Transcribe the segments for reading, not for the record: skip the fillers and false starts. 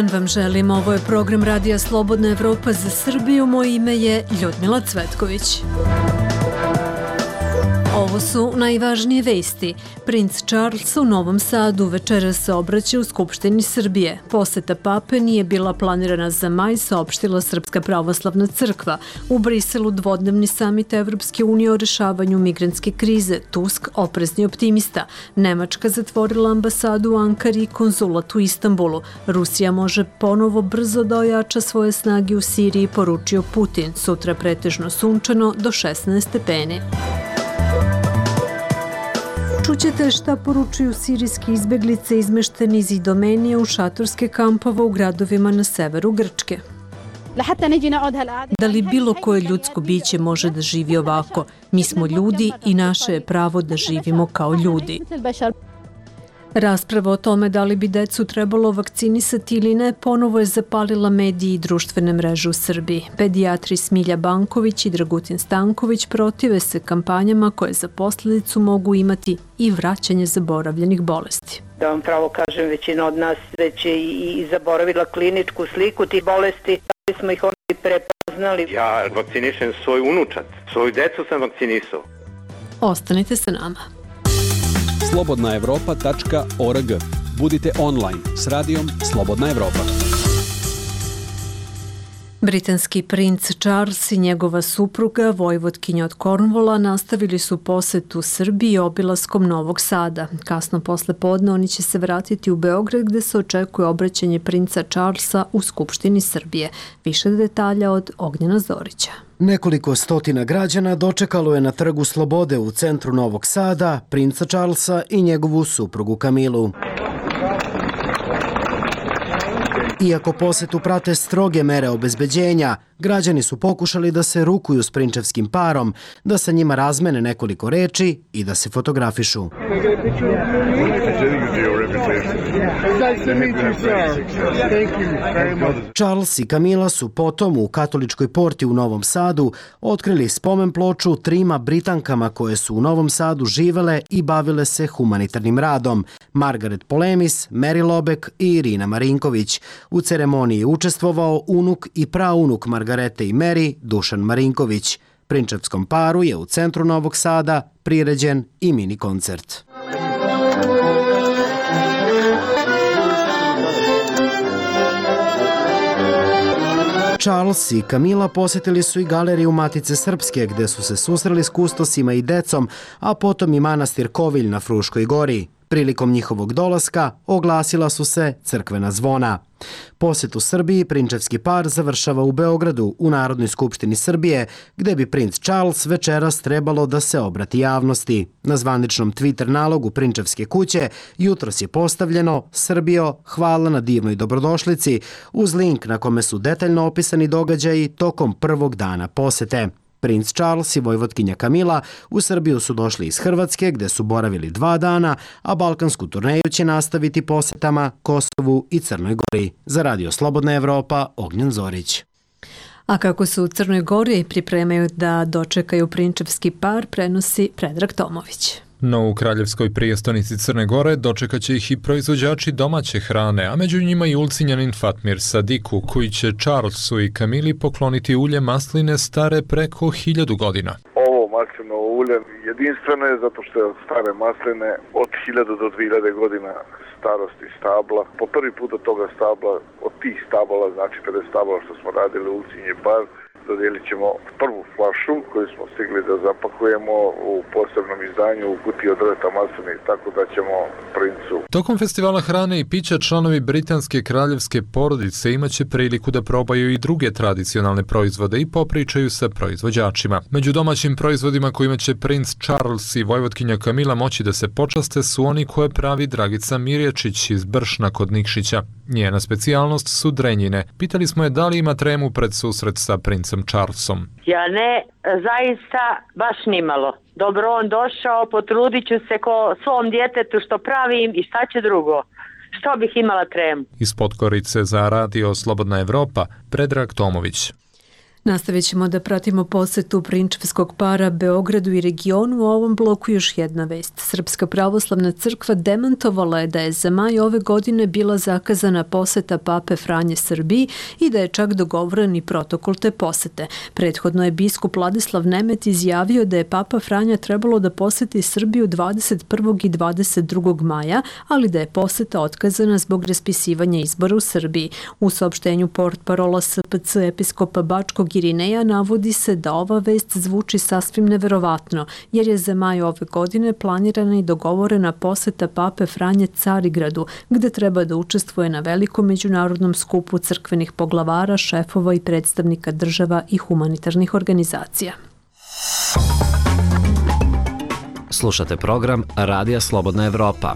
dan vam želim, ovo je program Radija Slobodna Evropa za Srbiju, moje ime je Ljudmila Cvetković. Ovo su najvažnije vesti. Princ Charles u Novom Sadu večeras se obraća u Skupštini Srbije. Poseta pape nije bila planirana za maj, saopštila Srpska pravoslavna crkva. U Briselu dvodnevni samit Evropske unije o rešavanju migrantske krize. Tusk oprezni optimista. Nemačka zatvorila ambasadu u Ankari i konzulat u Istanbulu. Rusija može ponovo brzo da ojača svoje snage u Siriji, poručio Putin. Sutra pretežno sunčano do 16 stepeni. Čućete šta poručuju sirijski izbeglice izmešteni iz Idomenije u šatorske kampove u gradovima na severu Grčke. Da li bilo koje ljudsko biće može da živi ovako? Mi smo ljudi i naše je pravo da živimo kao ljudi. Rasprava o tome da li bi decu trebalo vakcinisati ili ne ponovo je zapalila mediji i društvene mreže u Srbiji. Pedijatri Smilja Banković i Dragutin Stanković protive se kampanjama koje za posljedicu mogu imati i vraćanje zaboravljenih bolesti. Da vam pravo kažem, većina od nas već je i zaboravila kliničku sliku tih bolesti, ali smo ih onda i prepoznali. Ja vakcinišem svoj unučad, svoju decu sam vakcinisao. Ostanite sa nama. slobodnaevropa.org. Budite online s radijom Slobodna Evropa. Britanski princ Charles i njegova supruga, vojvotkinja od Cornwalla, nastavili su posetu Srbiji obilaskom Novog Sada. Kasno posle podne oni će se vratiti u Beograd gde se očekuje obraćanje princa Charlesa u Skupštini Srbije. Više detalja od Ognjena Zorića. Nekoliko stotina građana dočekalo je na Trgu Slobode u centru Novog Sada princa Charlesa i njegovu suprugu Kamilu. Iako posetu prate stroge mere obezbeđenja, građani su pokušali da se rukuju s prinčevskim parom, da sa njima razmene nekoliko reči i da se fotografišu. Charles i Camilla su potom u Katoličkoj porti u Novom Sadu otkrili spomen ploču trima Britankama koje su u Novom Sadu živele i bavile se humanitarnim radom: Margaret Polemis, Mary Lobek i Irina Marinković. U ceremoniji je učestvovao unuk i praunuk Margarete i Mary, Dušan Marinković. Prinčevskom paru je u centru Novog Sada priređen i mini koncert. Charles i Camilla posjetili su i galeriju Matice Srpske, gde su se susreli s kustosima i decom, a potom i manastir Kovilj na Fruškoj gori. Prilikom njihovog dolaska oglasila su se crkvena zvona. Posjet u Srbiji prinčevski par završava u Beogradu, u Narodnoj skupštini Srbije, gde bi princ Charles večeras trebalo da se obrati javnosti. Na zvaničnom Twitter nalogu prinčevske kuće jutros je postavljeno: Srbijo, hvala na divnoj dobrodošlici, uz link na kome su detaljno opisani događaji tokom prvog dana posete. Princ Charles i vojvotkinja Camilla u Srbiju su došli iz Hrvatske, gde su boravili 2 dana, a balkansku turneju će nastaviti posetama Kosovu i Crnoj Gori. Za Radio Slobodna Evropa, Ognjen Zorić. A kako su u Crnoj Gori pripremaju da dočekaju prinčevski par, prenosi Predrag Tomović. No u kraljevskoj prijestonici Crne Gore dočekat će ih i proizvođači domaće hrane, a među njima i ulcinjanin Fatmir Sadiku, koji će Charlesu i Camili pokloniti ulje masline stare preko 1000 godina. Ovo maslinovo ulje jedinstveno je zato što je od stare masline od 1000 do 2000 godina starosti stabla. Po prvi put od toga stabla, od tih stabala, znači 50 stabala što smo radili ulcinje bar, dodijelit ćemo prvu flašu koju smo stigli da zapakujemo u posebnom izdanju u kutiji od drveta masline, tako da ćemo princu. Tokom festivala hrane i pića članovi britanske kraljevske porodice imaće priliku da probaju i druge tradicionalne proizvode i popričaju sa proizvođačima. Među domaćim proizvodima kojima će princ Charles i vojvotkinja Camilla moći da se počaste su oni koje pravi Dragica Mirječić iz Bršna kod Nikšića. Njena specijalnost su drenjine. Pitali smo je da li ima tremu pred susret sa princem Charlesom. Ja ne, zaista baš nimalo. Dobro on došao, potrudit ću se ko svom djetetu što pravim i šta će drugo. Što bih imala tremu? Iz Podgorice za Radio Slobodna Evropa, Predrag Tomović. Nastavit ćemo da pratimo posetu prinčevskog para Beogradu i regionu. U ovom bloku još jedna vest. Srpska pravoslavna crkva demantovala je da je za maj ove godine bila zakazana poseta pape Franje Srbiji i da je čak dogovoren i protokol te posete. Prethodno je biskup Vladislav Nemet izjavio da je papa Franja trebalo da poseti Srbiju 21. i 22. maja, ali da je poseta otkazana zbog raspisivanja izbora u Srbiji. U saopštenju portparola SPC episkopa Bačkog Irineja navodi se da ova vest zvuči sasvim neverovatno, jer je za maj ove godine planirana i dogovorena poseta pape Franje Carigradu, gde treba da učestvuje na velikom međunarodnom skupu crkvenih poglavara, šefova i predstavnika država i humanitarnih organizacija. Slušate program Radija Slobodna Evropa.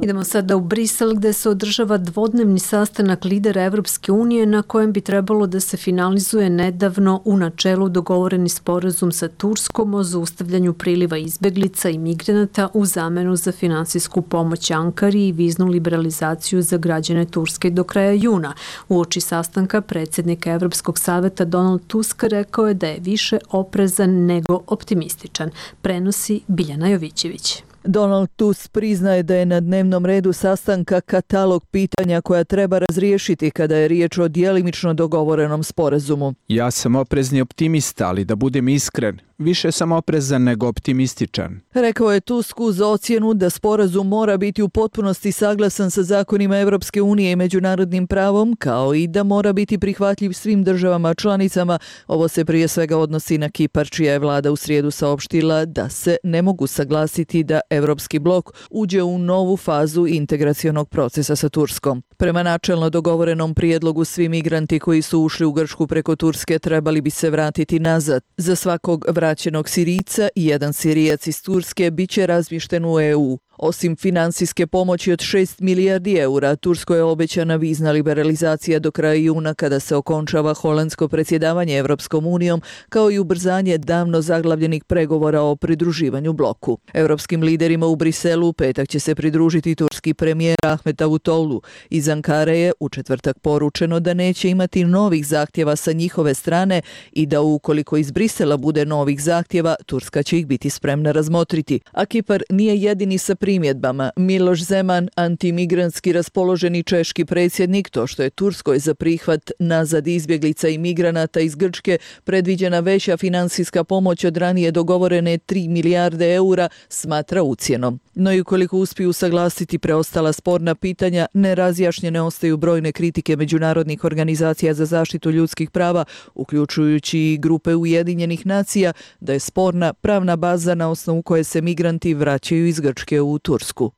Idemo sada u Brisel gde se održava dvodnevni sastanak lidera Evropske unije na kojem bi trebalo da se finalizuje nedavno u načelu dogovoreni sporazum sa Turskom o zaustavljanju priliva izbeglica i migranata u zamenu za finansijsku pomoć Ankari i viznu liberalizaciju za građane Turske do kraja juna. Uoči sastanka predsjednik Evropskog saveta Donald Tusk rekao je da je više oprezan nego optimističan. Prenosi Biljana Jovićević. Donald Tusk priznaje da je na dnevnom redu sastanka katalog pitanja koja treba razriješiti kada je riječ o djelimično dogovorenom sporazumu. Ja sam oprezni optimista, ali da budem iskren, više sam oprezan nego optimističan. Rekao je Tusk uz ocjenu da sporazum mora biti u potpunosti saglasan sa zakonima Evropske unije i međunarodnim pravom, kao i da mora biti prihvatljiv svim državama članicama. Ovo se prije svega odnosi na Kipar, čija je vlada u srijedu saopštila da se ne mogu saglasiti da Evropski blok uđe u novu fazu integracionog procesa sa Turskom. Prema načelno dogovorenom prijedlogu, svi migranti koji su ušli u Grčku preko Turske trebali bi se vratiti nazad. Za svakog vraćenog Sirijca i jedan Sirijac iz Turske bit će razmješten u EU. Osim finansijske pomoći od 6 milijardi eura, Turskoj je obećana vizna liberalizacija do kraja juna kada se okončava holandsko predsjedavanje Evropskom unijom, kao i ubrzanje davno zaglavljenih pregovora o pridruživanju bloku. Evropskim liderima u Briselu petak će se pridružiti turski premijer Ahmet Davutoglu. Iz Ankare je u četvrtak poručeno da neće imati novih zahtjeva sa njihove strane i da ukoliko iz Brisela bude novih zahtjeva, Turska će ih biti spremna razmotriti. A Kipar nije jedini sa primjedbama. Miloš Zeman, antimigrantski raspoloženi češki predsjednik, to što je Turskoj za prihvat nazad izbjeglica i migranata iz Grčke predviđena veća finansijska pomoć od ranije dogovorene 3 milijarde eura, smatra ucjenom. No i ukoliko uspiju saglasiti preostala sporna pitanja, nerazjašnjene ostaju brojne kritike međunarodnih organizacija za zaštitu ljudskih prava, uključujući i grupe Ujedinjenih nacija, da je sporna pravna baza na osnovu koje se migranti vraćaju iz Grčke u Tursku.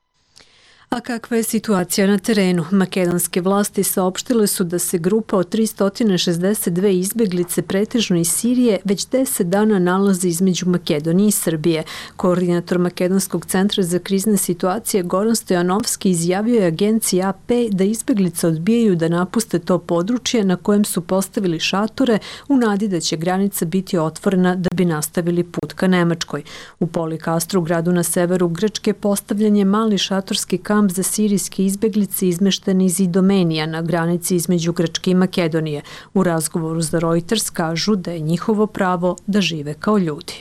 A kakva je situacija na terenu? Makedonske vlasti saopštile su da se grupa od 362 izbjeglice pretežno iz Sirije već 10 dana nalazi između Makedonije i Srbije. Koordinator Makedonskog centra za krizne situacije Goran Stojanovski izjavio je agenciji AP da izbjeglice odbijaju da napuste to područje na kojem su postavili šatore u nadi da će granica biti otvorena da bi nastavili put ka Nemačkoj. U Polikastru, gradu na severu Grčke, postavljen je mali šatorski kamp za sirijske izbjeglice izmešteni iz Idomenija na granici između Grčke i Makedonije. U razgovoru za Reuters kažu da je njihovo pravo da žive kao ljudi.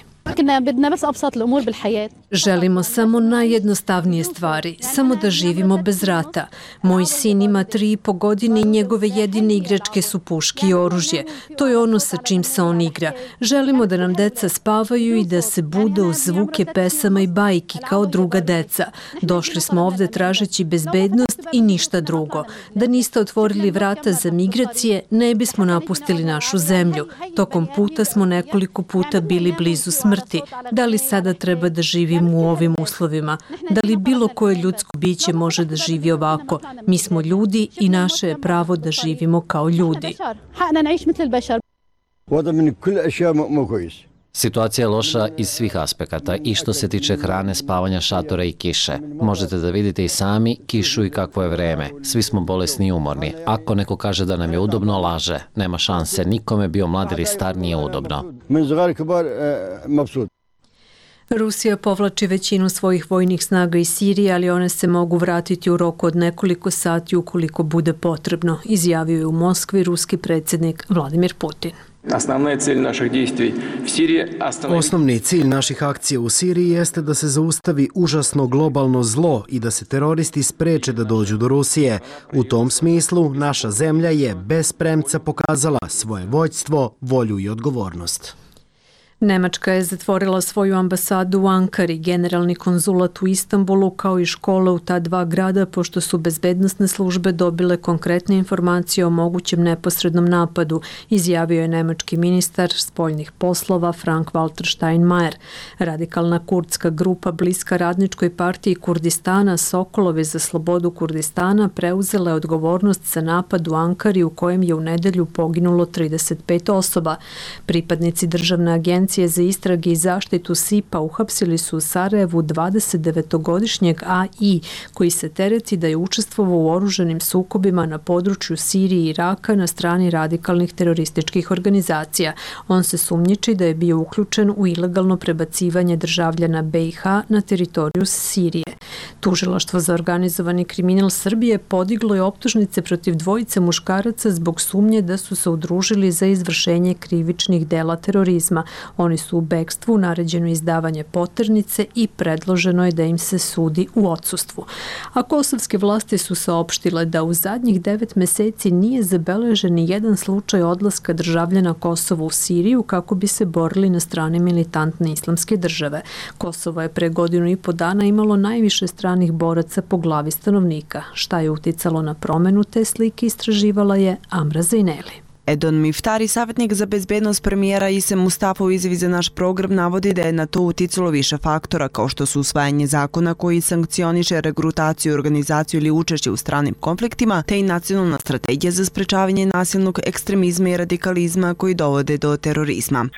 Želimo samo najjednostavnije stvari, samo da živimo bez rata. Moj sin ima 3,5 godine i njegove jedine igračke su puške i oružje. To je ono sa čim se on igra. Želimo da nam deca spavaju i da se bude uz zvuke pesama i bajki kao druga deca. Došli smo ovde tražeći bezbednost i ništa drugo. Da niste otvorili vrata za migracije, ne bismo napustili našu zemlju. Tokom puta smo nekoliko puta bili blizu smrti. Da li sada treba da živimo u ovim uslovima? Da li bilo koje ljudsko biće može da živi ovako? Mi smo ljudi i naše je pravo da živimo kao ljudi. Situacija je loša iz svih aspekata i što se tiče hrane, spavanja, šatora i kiše. Možete da vidite i sami kišu i kakvo je vreme. Svi smo bolesni i umorni. Ako neko kaže da nam je udobno, laže. Nema šanse. Nikome, bio mlad ili star, nije udobno. Rusija povlači većinu svojih vojnih snaga iz Sirije, ali one se mogu vratiti u roku od nekoliko sati ukoliko bude potrebno, izjavio je u Moskvi ruski predsjednik Vladimir Putin. Osnovni cilj naših akcija u Siriji jeste da se zaustavi užasno globalno zlo i da se teroristi spreče da dođu do Rusije. U tom smislu naša zemlja je bez premca pokazala svoje vođstvo, volju i odgovornost. Nemačka je zatvorila svoju ambasadu u Ankari, generalni konzulat u Istanbulu kao i škole u ta dva grada pošto su bezbednosne službe dobile konkretne informacije o mogućem neposrednom napadu, izjavio je nemački ministar spoljnih poslova Frank-Walter Steinmeier. Radikalna kurdska grupa bliska Radničkoj partiji Kurdistana Sokolovi za slobodu Kurdistana preuzela je odgovornost za napad u Ankari u kojem je u nedelju poginulo 35 osoba. Pripadnici državne agencije za istrage i zaštitu SIPA uhapsili su u Sarajevu 29-godišnjeg AI koji se tereti da je učestvovao u oružanim sukobima na području Sirije i Iraka na strani radikalnih terorističkih organizacija. On se sumnjiči da je bio uključen u ilegalno prebacivanje državljana BiH na teritoriju Sirije. Tužilaštvo za organizovani kriminal Srbije podiglo je optužnice protiv dvojice muškaraca zbog sumnje da su se udružili za izvršenje krivičnih dela terorizma. Oni su u bekstvu, naređeno izdavanje poternice i predloženo je da im se sudi u odsustvu. A kosovske vlasti su saopštile da u zadnjih 9 meseci nije zabeležen ni jedan slučaj odlaska državljana Kosova u Siriju kako bi se borili na strani militantne islamske države. Kosovo je pre 1.5 godina imalo najviše stranih boraca po glavi stanovnika. Šta je uticalo na promenu te slike istraživala je Amra Zejneli. Edon Miftari, savjetnik za bezbednost premijera Ise Mustafa u izjavi za naš program, navodi da je na to uticalo više faktora kao što su usvajanje zakona koji sankcioniše regrutaciju, organizaciju ili učešće u stranim konfliktima, te i nacionalna strategija za sprečavanje nasilnog ekstremizma i radikalizma koji dovode do terorizma.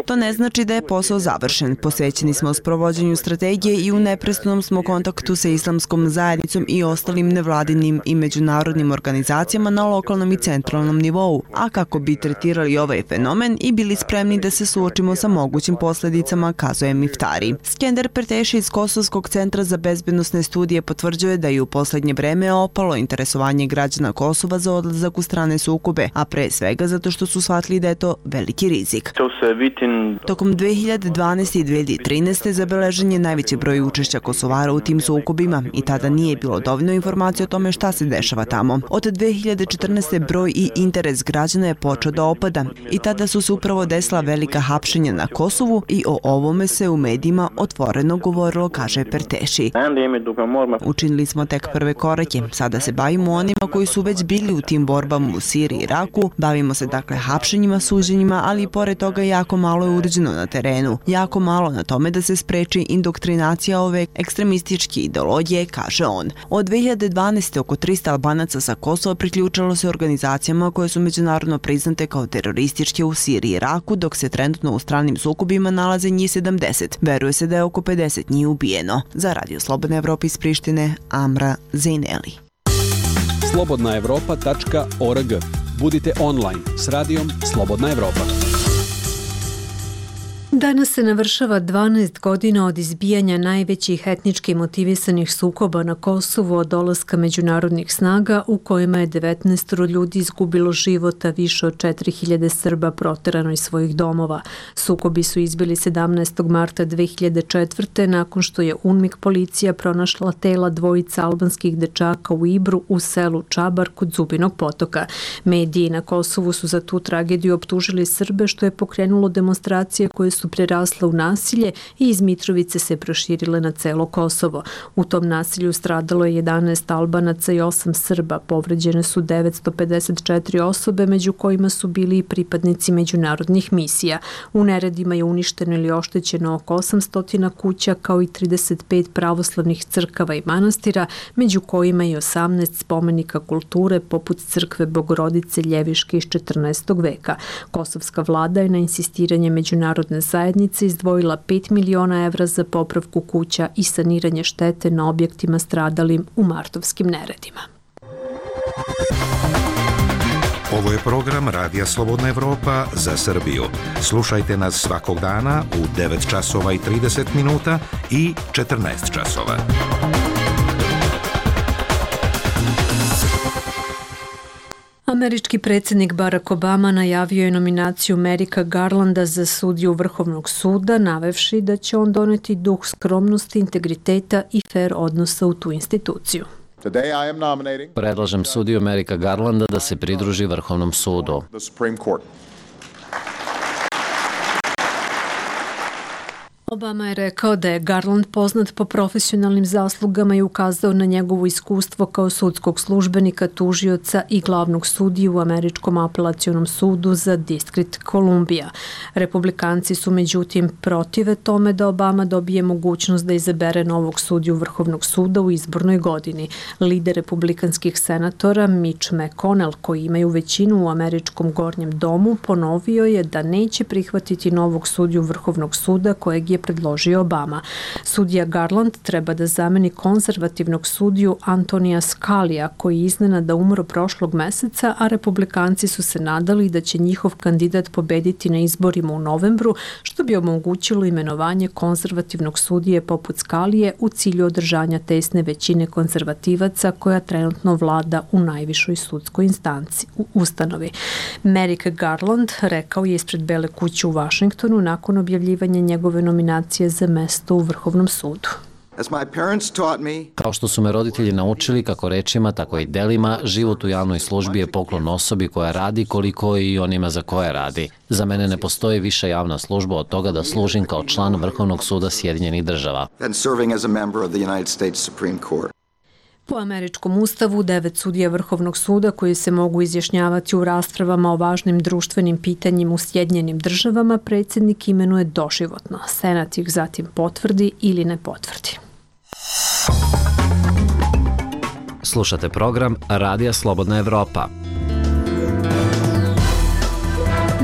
To ne znači da je posao završen. Posvećeni smo sprovođenju strategije i u neprestanom smo kontaktu sa islamskom zajednicom i ostalim nevladinim i međunarodnim organizacijama na lokalnom i centralnom nivou, a kako bi tretirali ovaj fenomen i bili spremni da se suočimo sa mogućim posljedicama, kazuje Miftari. Skender Perteši iz Kosovskog centra za bezbednosne studije potvrđuje da je u posljednje vreme opalo interesovanje građana Kosova za odlazak u strane sukobe, a pre svega zato što su shvatili da je to veliki rizik. Tokom 2012. i 2013. zabeležen je najveći broj učešća Kosovara u tim sukobima i tada nije bilo dovoljno informacije o tome šta se dešava tamo. Od 2014. broj i interes građana je počeo da opada i tada su se upravo desila velika hapšenja na Kosovu i o ovome se u medijima otvoreno govorilo, kaže Perteši. Učinili smo tek prve korake, sada se bavimo onima koji su već bili u tim borbama u Siriji i Iraku, bavimo se dakle hapšenjima, suđenjima, ali i pored toga jako malo je urađeno na terenu, jako malo na tome da se spreči indoktrinacija ove ekstremističke ideologije, kaže on. Od 2012. oko 300 Albanaca sa Kosova priključalo se organizacijama koje su međunarodno priznate kao terorističke u Siriji i Iraku, dok se trenutno u stranim sukobima nalaze njih 70. Veruje se da je oko 50 njih ubijeno. Za Radio Slobodna Evropa iz Prištine, Amra Zejneli. slobodnaevropa.org. Budite online s radijom Slobodna Evropa. Danas se navršava 12 godina od izbijanja najvećih etnički motivisanih sukoba na Kosovu od dolaska međunarodnih snaga u kojima je 19 ljudi izgubilo života, više od 4000 Srba proterano iz svojih domova. Sukobi su izbili 17. marta 2004. nakon što je UNMIK policija pronašla tela dvojica albanskih dečaka u Ibru u selu Čabar kod Zubinog potoka. Mediji na Kosovu su za tu tragediju optužili Srbe što je pokrenulo demonstracije koje su prerasle u nasilje i iz Mitrovice se proširile na celo Kosovo. U tom nasilju stradalo je 11 Albanaca i 8 Srba. Povređene su 954 osobe, među kojima su bili i pripadnici međunarodnih misija. U neredima je uništeno ili oštećeno oko 800 kuća, kao i 35 pravoslavnih crkava i manastira, među kojima i 18 spomenika kulture, poput crkve Bogorodice Ljeviške iz 14. veka. Kosovska vlada je na insistiranje međunarodne zajednice izdvojila 5 miliona evra za popravku kuća i saniranje štete na objektima stradalim u martovskim neredima. Ovo je program Radija Slobodna Evropa za Srbiju. Slušajte nas svakog dana u 9 časova i 30 minuta i 14 časova. Američki predsjednik Barack Obama najavio je nominaciju Merika Garlanda za sudiju Vrhovnog suda, navevši da će on doneti duh skromnosti, integriteta i fer odnosa u tu instituciju. Predlažem sudiju Merika Garlanda da se pridruži Vrhovnom sudu. Obama je rekao da je Garland poznat po profesionalnim zaslugama i ukazao na njegovo iskustvo kao sudskog službenika, tužioca i glavnog sudiju u Američkom apelacionom sudu za Distrikt Kolumbija. Republikanci su međutim protive tome da Obama dobije mogućnost da izabere novog sudiju Vrhovnog suda u izbornoj godini. Lider republikanskih senatora Mitch McConnell, koji imaju većinu u Američkom gornjem domu, ponovio je da neće prihvatiti novog sudiju Vrhovnog suda kojeg je predložio Obama. Sudija Garland treba da zameni konzervativnog sudiju Antonija Scalija, koji je iznenada umro prošlog meseca, a republikanci su se nadali da će njihov kandidat pobediti na izborima u novembru, što bi omogućilo imenovanje konzervativnog sudije poput Scalije u cilju održanja tesne većine konzervativaca koja trenutno vlada u najvišoj sudskoj instanci u ustanovi. Merrick Garland rekao je ispred Bele kuće u Vašingtonu nakon objavljivanja njegove nominacije za mesto u Vrhovnom sudu. Kao što su me roditelji naučili, kako rečima, tako i delima, život u javnoj službi je poklon osobi koja radi koliko i onima za koje radi. Za mene ne postoji viša javna služba od toga da služim kao član Vrhovnog suda Sjedinjenih država. Po američkom ustavu, 9 sudija Vrhovnog suda koji se mogu izjašnjavati u raspravama o važnim društvenim pitanjima u Sjedinjenim državama predsjednik imenuje doživotno. Senat ih zatim potvrdi ili ne potvrdi. Slušate program Radija Slobodna Evropa.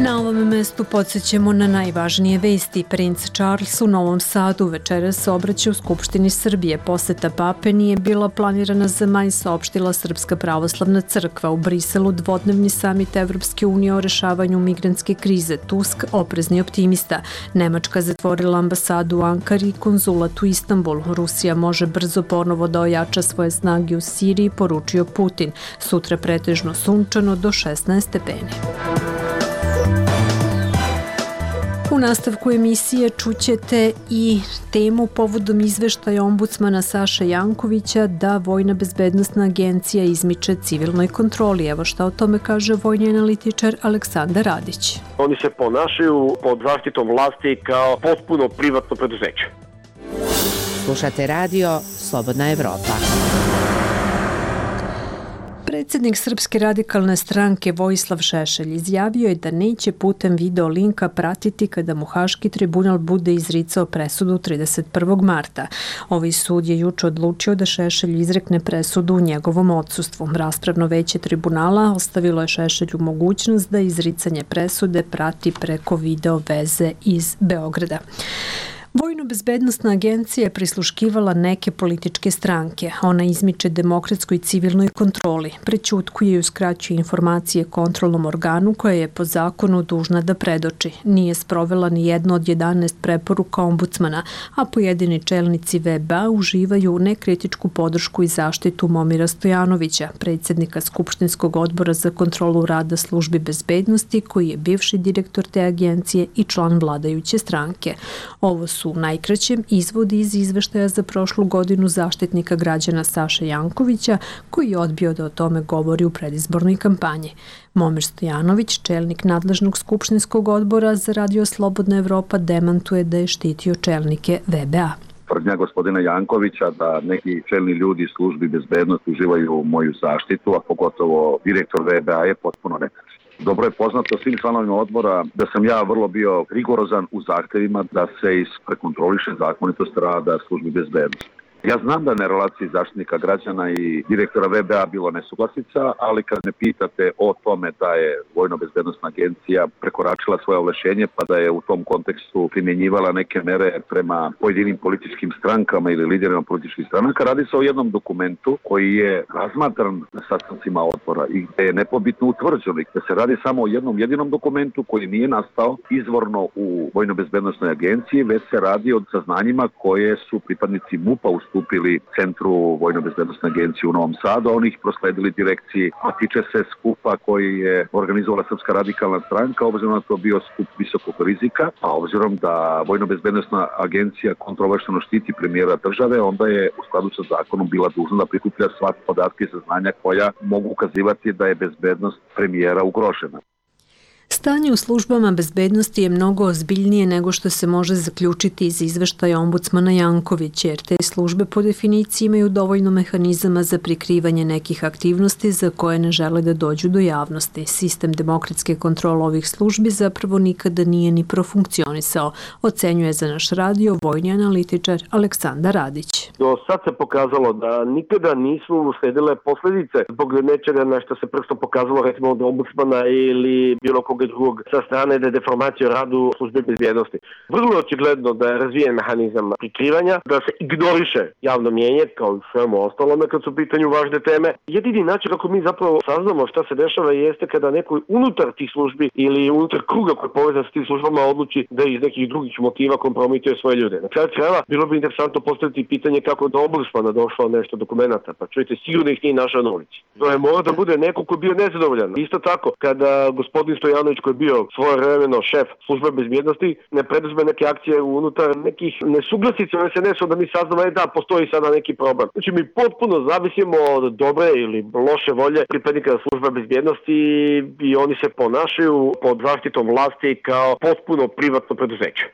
Na ovom mestu podsjećamo na najvažnije vesti. Princ Charles u Novom Sadu večeras se obraća u Skupštini Srbije. Poseta pape nije bila planirana za maj, saopštila Srpska pravoslavna crkva. U Briselu dvodnevni samit Evropske unije o rešavanju migrantske krize. Tusk oprezni optimista. Nemačka zatvorila ambasadu u Ankari i konzulat u Istanbulu. Rusija može brzo ponovo da ojača svoje snage u Siriji, poručio Putin. Sutra pretežno sunčano do 16 stepeni. U nastavku emisije čućete i temu povodom izveštaja ombudsmana Saše Jankovića da Vojna bezbednosna agencija izmiče civilnoj kontroli. Evo šta o tome kaže vojni analitičar Aleksandar Radić. Oni se ponašaju pod zaštitom vlasti kao potpuno privatno preduzeće. Slušate radio Slobodna Evropa. Predsjednik Srpske radikalne stranke Vojislav Šešelj izjavio je da neće putem video linka pratiti kada mu Haški tribunal bude izricao presudu 31. marta. Ovaj sud je juče odlučio da Šešelj izrekne presudu u njegovom odsustvu. Raspravno veće tribunala ostavilo je Šešelju mogućnost da izricanje presude prati preko video veze iz Beograda. Vojno-bezbednosna agencija je prisluškivala neke političke stranke. Ona izmiče demokratskoj i civilnoj kontroli, prećutkuje i uskraćuje informacije kontrolnom organu koja je po zakonu dužna da predoči. Nije sprovela ni jedno od 11 preporuka ombudsmana, a pojedini čelnici VBA uživaju nekritičku podršku i zaštitu Momira Stojanovića, predsjednika Skupštinskog odbora za kontrolu rada službi bezbednosti, koji je bivši direktor te agencije i član vladajuće stranke. Ovo su u najkraćem izvodi iz izveštaja za prošlu godinu zaštitnika građana Saše Jankovića, koji je odbio da o tome govori u predizbornoj kampanji. Momir Stojanović, čelnik nadležnog Skupštinskog odbora za Radio Slobodna Evropa, demantuje da je štitio čelnike VBA. Tvrdnja gospodina Jankovića da neki čelni ljudi službi bezbednosti uživaju moju zaštitu, a pogotovo direktor VBA, je potpuno netačno. Dobro je poznato svim članovima odbora da sam ja vrlo bio rigorozan u zahtevima da se prekontroliše zakonitost rada službi bezbednosti. Ja znam da na relaciji zaštitnika građana i direktora VBA bilo nesuglasica, ali kad me pitate o tome da je Vojno-bezbednosna agencija prekoračila svoje ovlašćenje pa da je u tom kontekstu primjenjivala neke mere prema pojedinim političkim strankama ili liderima političkih stranaka, radi se o jednom dokumentu koji je razmatran na sastancima odbora i gde je nepobitno utvrđeno da se radi samo o jednom jedinom dokumentu koji nije nastao izvorno u Vojno-bezbednosnoj agenciji, već se radi o saznanjima koje su pripadnici MUP-a ustupili Centru Vojno-bezbednosne agencije u Novom Sadu, a oni ih prosledili direkciji, a tiče se skupa koji je organizovala Srpska radikalna stranka, obzirom na to bio skup visokog rizika, a obzirom da Vojno-bezbednosna agencija kontroverzno štiti premijera države, onda je u skladu sa zakonom bila dužna da prikuplja sva podatke i saznanja koja mogu ukazivati da je bezbednost premijera ugrožena. Stanje u službama bezbednosti je mnogo ozbiljnije nego što se može zaključiti iz izveštaja ombudsmana Jankovića, jer te službe po definiciji imaju dovoljno mehanizama za prikrivanje nekih aktivnosti za koje ne žele da dođu do javnosti. Sistem demokratske kontrole ovih službi zapravo nikada nije ni profunkcionisao, ocenjuje za naš radio vojni analitičar Aleksandar Radić. Do sad se pokazalo da nikada nisu usledile posledice zbog nečega na što se prstom pokazalo recimo od ombudsmana ili bilo koga drugog sa strane da je deformacija o radu službe bezbjednosti. Vrlo očigledno da je razvijen mehanizam prikrivanja, da se ignoriše javno mjenje kao i svemu ostalome kad su u pitanju važne teme. Jedini način kako mi zapravo saznamo šta se dešava jeste kada neko unutar tih službi ili unutar kruga koji je povezan s tim službama odluči da iz nekih drugih motiva kompromituje svoje ljude. Na kraju krajeva bilo bi interesantno postaviti pitanje kako do ombudsmana došlo nešto dokumenta, pa čujte, sigurno ih nije našao na ulici. To je mora da bude neko ko je bio nezadovoljan. Isto tako, kada gospodin Stojanović koji je bio svojevremeno šef službe bezbjednosti ne preduzme neke akcije unutar nekih nesuglasica u SNS-u da mi saznamo da postoji sada neki problem. Znači mi potpuno zavisimo od dobre ili loše volje pripadnika službe bezbjednosti i oni se ponašaju pod zaštitom vlasti kao potpuno privatno preduzeće.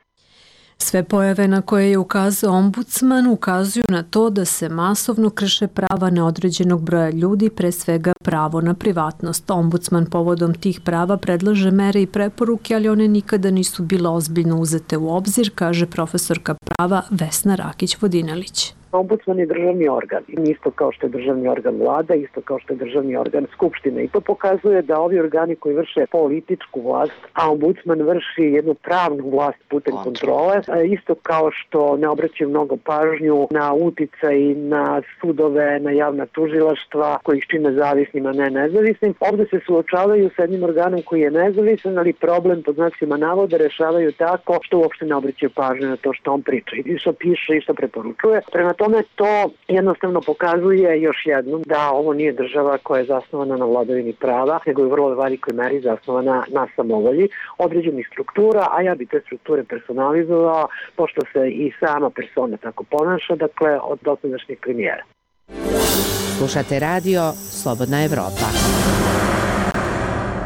Sve pojave na koje je ukazao ombudsman ukazuju na to da se masovno krše prava neodređenog broja ljudi, pre svega pravo na privatnost. Ombudsman povodom tih prava predlaže mere i preporuke, ali one nikada nisu bile ozbiljno uzete u obzir, kaže profesorka prava Vesna Rakić-Vodinelić. Ombudsman je državni organ, isto kao što je državni organ vlada, isto kao što je državni organ skupštine. I to pokazuje da ovi organi koji vrše političku vlast, a ombudsman vrši jednu pravnu vlast putem kontrole, isto kao što ne obraćaju mnogo pažnju na uticaj na sudove, na javna tužilaštva koji ih čine zavisnim, a ne nezavisnim. Ovde se suočavaju sa jednim organom koji je nezavisan, ali problem pod znacima navoda rešavaju tako što uopšte ne obraćaju pažnju na to što on priča i što piše i što preporučuje. Prema tome to jednostavno pokazuje još jednom da ovo nije država koja je zasnovana na vladavini prava, nego je u vrlo velikoj meri zasnovana na samovolji određenih struktura, a ja bi te strukture personalizovao, pošto se i sama persona tako ponaša, dakle od dosadašnjeg premijera. Slušate radio Slobodna Evropa.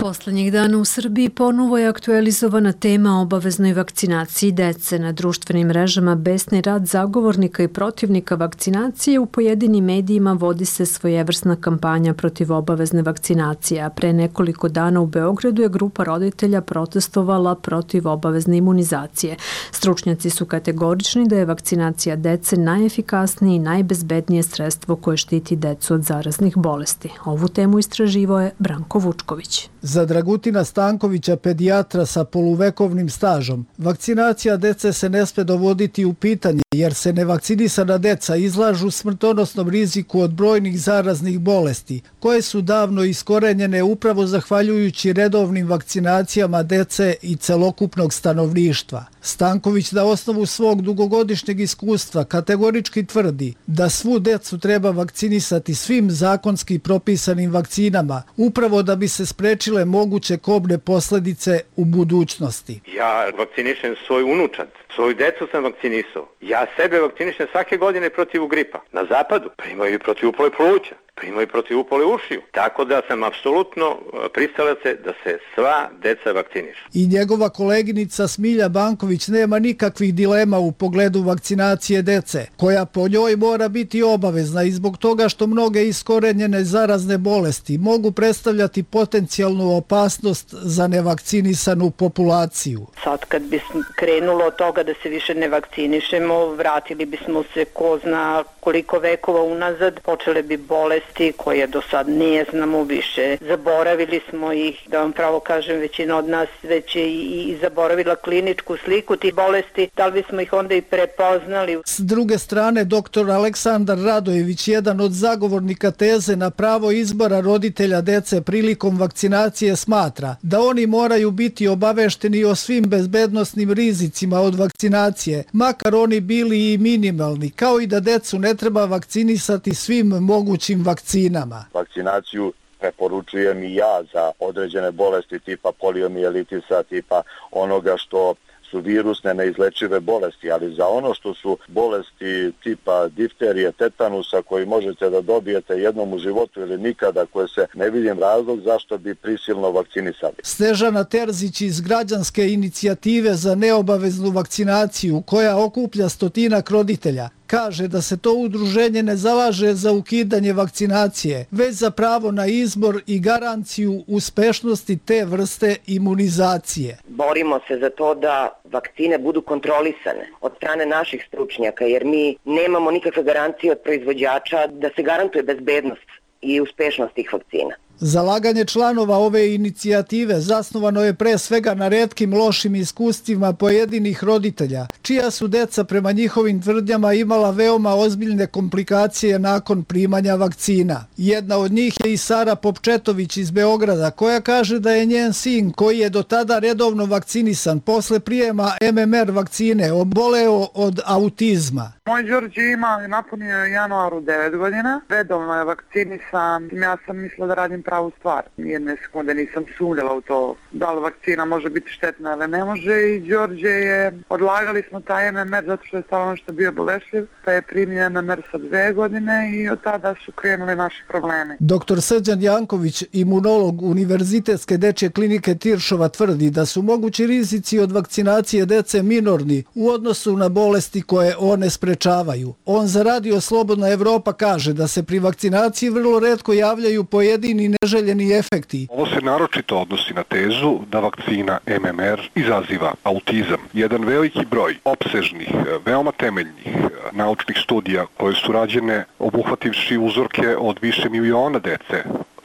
Poslednjih dana u Srbiji ponovo je aktualizovana tema o obaveznoj vakcinaciji dece. Na društvenim mrežama besni rad zagovornika i protivnika vakcinacije, u pojedinim medijima vodi se svojevrsna kampanja protiv obavezne vakcinacije, a pre nekoliko dana u Beogradu je grupa roditelja protestovala protiv obavezne imunizacije. Stručnjaci su kategorični da je vakcinacija dece najefikasnije i najbezbednije sredstvo koje štiti decu od zaraznih bolesti. Ovu temu istraživao je Branko Vučković. Za Dragutina Stankovića, pedijatra sa poluvekovnim stažom, vakcinacija dece se ne sme dovoditi u pitanje jer se nevakcinisana deca izlažu smrtonosnom riziku od brojnih zaraznih bolesti, koje su davno iskorenjene upravo zahvaljujući redovnim vakcinacijama dece i celokupnog stanovništva. Stanković na osnovu svog dugogodišnjeg iskustva kategorički tvrdi da svu decu treba vakcinisati svim zakonski propisanim vakcinama, upravo da bi se sprečile moguće kobne posledice u budućnosti. Ja vakcinišem svoj unučad, svoju decu sam vakcinisao. Ja sebe vakcinišem svake godine protiv gripa. Na zapadu primaju i protiv upale pluća. imaju protivupale ušiju. Tako da sam apsolutno pristalac da se sva deca vakcinišu. I njegova koleginica Smilja Banković nema nikakvih dilema u pogledu vakcinacije dece, koja po njoj mora biti obavezna i zbog toga što mnoge iskorenjene zarazne bolesti mogu predstavljati potencijalnu opasnost za nevakcinisanu populaciju. Sad kad bi krenulo od toga da se više ne vakcinišemo, vratili bismo se ko zna koliko vekova unazad, počele bi bolesti koje do sad ne znamo više. Zaboravili smo ih, da vam pravo kažem, većina od nas već je i zaboravila kliničku sliku tih bolesti, da li bismo ih onda i prepoznali. S druge strane, dr. Aleksandar Radojević, jedan od zagovornika teze na pravo izbora roditelja dece prilikom vakcinacije, smatra da oni moraju biti obavešteni o svim bezbednosnim rizicima od vakcinacije, makar oni bili i minimalni, kao i da decu ne treba vakcinisati svim mogućim vakcinama. Vakcinaciju preporučujem i ja za određene bolesti tipa poliomijelitisa, tipa onoga što su virusne neizlečive bolesti, ali za ono što su bolesti tipa difterije, tetanusa koji možete da dobijete jednom u životu ili nikada, koje se ne vidim razlog zašto bi prisilno vakcinisali. Snežana Terzić iz građanske inicijative za neobaveznu vakcinaciju, koja okuplja 100 roditelja, kaže da se to udruženje ne zalaže za ukidanje vakcinacije, već za pravo na izbor i garanciju uspešnosti te vrste imunizacije. Borimo se za to da vakcine budu kontrolisane od strane naših stručnjaka, jer mi nemamo nikakve garancije od proizvođača da se garantuje bezbednost i uspešnost tih vakcina. Zalaganje članova ove inicijative zasnovano je pre svega na retkim lošim iskustvima pojedinih roditelja, čija su deca prema njihovim tvrdnjama imala veoma ozbiljne komplikacije nakon primanja vakcina. Jedna od njih je i Sara Popčetović iz Beograda, koja kaže da je njen sin, koji je do tada redovno vakcinisan, posle prijema MMR vakcine oboleo od autizma. Moj Đorđe ima, napunio je u januaru 9 godina, redovno je vakcinisan, ja sam mislila da radim pravu stvar. Jedne sekunde nisam sumnjala u to da li vakcina može biti štetna ili ne može, i Đorđe je, odlagali smo taj MMR zato što je stalno što bio bolešljiv, pa je primio MMR sa 2 godine i od tada su krenuli naši problemi. Dr. Srđan Janković, imunolog Univerzitetske dečje klinike Tiršova, tvrdi da su mogući rizici od vakcinacije dece minorni u odnosu na bolesti koje one sprečavaju. On za Radio Slobodna Evropa kaže da se pri vakcinaciji vrlo retko javljaju pojedini neželjeni efekti. Ovo se naročito odnosi na tezu da vakcina MMR izaziva autizam. Jedan veliki broj opsežnih, veoma temeljnih naučnih studija koje su rađene obuhvativši uzorke od više miliona dece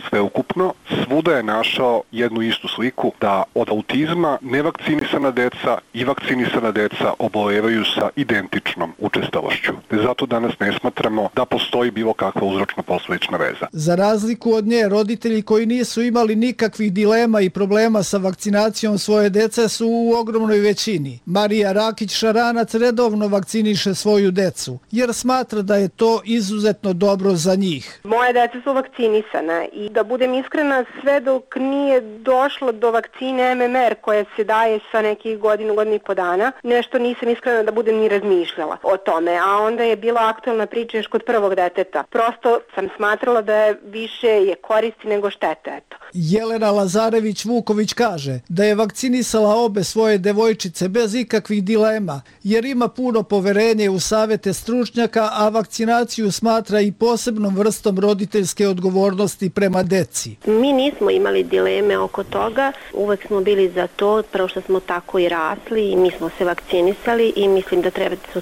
sveukupno, svuda je našao jednu istu sliku da od autizma nevakcinisana deca i vakcinisana deca obolevaju sa identičnom učestalošću. Zato danas ne smatramo da postoji bilo kakva uzročno-posledična veza. Za razliku od nje, roditelji koji nisu imali nikakvih dilema i problema sa vakcinacijom svoje dece su u ogromnoj većini. Marija Rakić-Šaranac redovno vakciniše svoju decu, jer smatra da je to izuzetno dobro za njih. Moje deca su vakcinisana i da budem iskrena, sve dok nije došlo do vakcine MMR koja se daje sa nekih godinu i po dana, nešto nisam iskrena da budem ni razmišljala o tome, a onda je bila aktualna priča još kod prvog deteta. Prosto sam smatrala da je više je koristi nego štete, eto. Jelena Lazarević-Vuković kaže da je vakcinisala obe svoje devojčice bez ikakvih dilema, jer ima puno poverenje u savete stručnjaka, a vakcinaciju smatra i posebnom vrstom roditeljske odgovornosti prema deci. Mi nismo imali dileme oko toga, uvek smo bili za to, prvo što smo tako i rasli i mi smo se vakcinisali i mislim da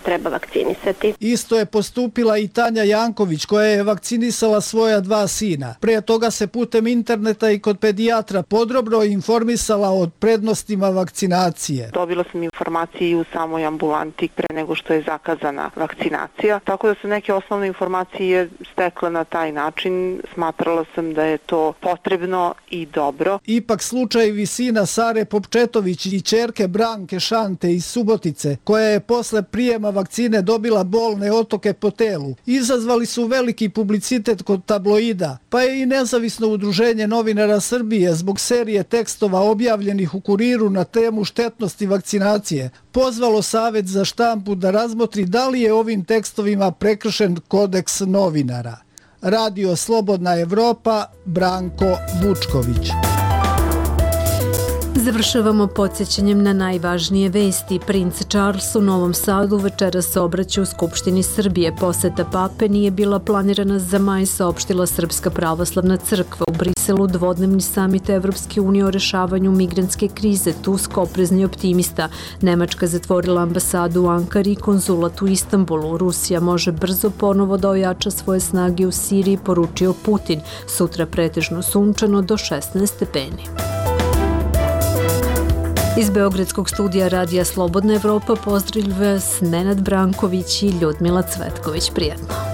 treba vakcinisati. Isto je postupila i Tanja Janković, koja je vakcinisala svoja 2 sina. Prije toga se putem interneta i kod pedijatra podrobno informisala o prednostima vakcinacije. Dobila sam informacije i u samoj ambulanti pre nego što je zakazana vakcinacija, tako da su neke osnovne informacije stekle na taj način. Smatrala sam da je to potrebno i dobro. Ipak slučajevi sina Sare Popčetović i ćerke Branke Šante iz Subotice, koja je posle prijema vakcine dobila bolne otoke po telu, izazvali su veliki publicitet kod tabloida, pa je i nezavisno udruženje novinara Srbije zbog serije tekstova objavljenih u Kuriru na temu štetnosti vakcinacije pozvalo Savet za štampu da razmotri da li je ovim tekstovima prekršen kodeks novinara. Radio Slobodna Evropa, Branko Vučković. Završavamo podsjećanjem na najvažnije vesti. Princ Charles u Novom Sadu večeras se obraća u Skupštini Srbije. Poseta pape nije bila planirana za maj, saopštila Srpska pravoslavna crkva. U Briselu dvodnevni samit Evropske unije o rešavanju migrantske krize. Tusk oprezni optimista. Nemačka zatvorila ambasadu u Ankari i konzulat u Istanbulu. Rusija može brzo ponovo da ojača svoje snage u Siriji, poručio Putin. Sutra pretežno sunčano do 16 stepeni. Iz Beogradskog studija Radija Slobodna Evropa pozdravlja vas Nenad Branković i Ljudmila Cvetković. Prijetno.